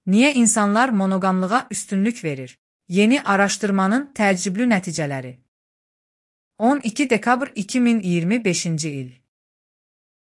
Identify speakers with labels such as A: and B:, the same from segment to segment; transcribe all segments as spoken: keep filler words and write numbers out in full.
A: Niyə insanlar monoqamlığa üstünlük verir? Yeni araşdırmanın təcrübli nəticələri. on iki dekabr iki min iyirmi beşinci il.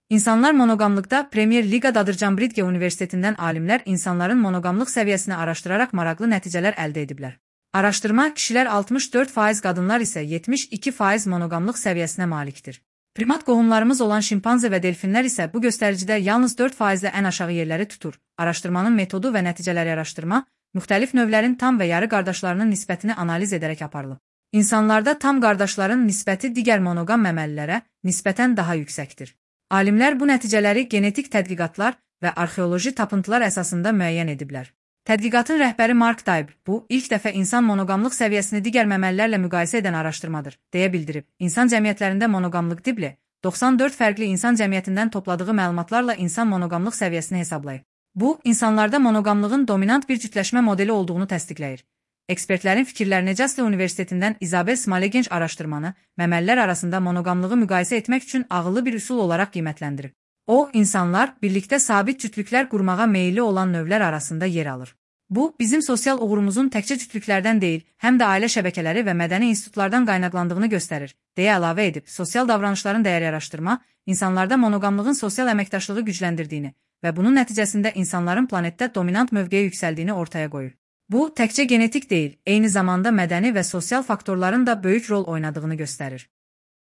A: İnsanlar monoqamlıqda Premier Liqadadır. Cambridge Universitetindən alimlər insanların monoqamlıq səviyyəsini araşdıraraq maraqlı nəticələr əldə ediblər. Araşdırma kişilər altmış dörd faiz, qadınlar isə yetmiş iki faiz monoqamlıq səviyyəsinə malikdir. Primat qohumlarımız olan şimpanze və delfinlər isə bu göstəricidə yalnız dörd faizlə ən aşağı yerləri tutur. Araşdırmanın metodu və nəticələri araşdırma, müxtəlif növlərin tam və yarı qardaşlarının nisbətini analiz edərək aparılıb. İnsanlarda tam qardaşların nisbəti digər monoqam məməlilərə nisbətən daha yüksəkdir. Alimlər bu nəticələri genetik tədqiqatlar və arxeoloji tapıntılar əsasında müəyyən ediblər. Tədqiqatın rəhbəri Mark Taib, bu, ilk dəfə insan monoqamlıq səviyyəsini digər məməlilərlə müqayisə edən araşdırmadır, deyə bildirib. İnsan cəmiyyətlərində monoqamlıq tipli, doxsan dörd fərqli insan cəmiyyətindən topladığı məlumatlarla insan monoqamlıq səviyyəsini hesablayıb. Bu, insanlarda monoqamlığın dominant bir cütləşmə modeli olduğunu təsdiqləyir. Ekspertlərin fikirlərinə Jastle Universitetindən Isabel Smale gənc araşdırmanı məməlilər arasında monoqamlığı müqayisə etmək üçün ağıllı bir üsul olaraq qiymətləndirib. O, insanlar birlikdə sabit cütlüklər qurmağa meyilli olan növlər arasında yer alır. Bu, bizim sosial uğurumuzun təkcə cütlüklərdən deyil, həm də ailə şəbəkələri və mədəni institutlardan qaynaqlandığını göstərir, deyə əlavə edib. Sosial davranışların dəyəri araşdırma, insanlarda monoqamlığın sosial əməkdaşlığı gücləndirdiyini və bunun nəticəsində insanların planetdə dominant mövqeyə yüksəldiyini ortaya qoyur. Bu, təkcə genetik deyil, eyni zamanda mədəni və sosial faktorların da böyük rol oynadığını göstərir.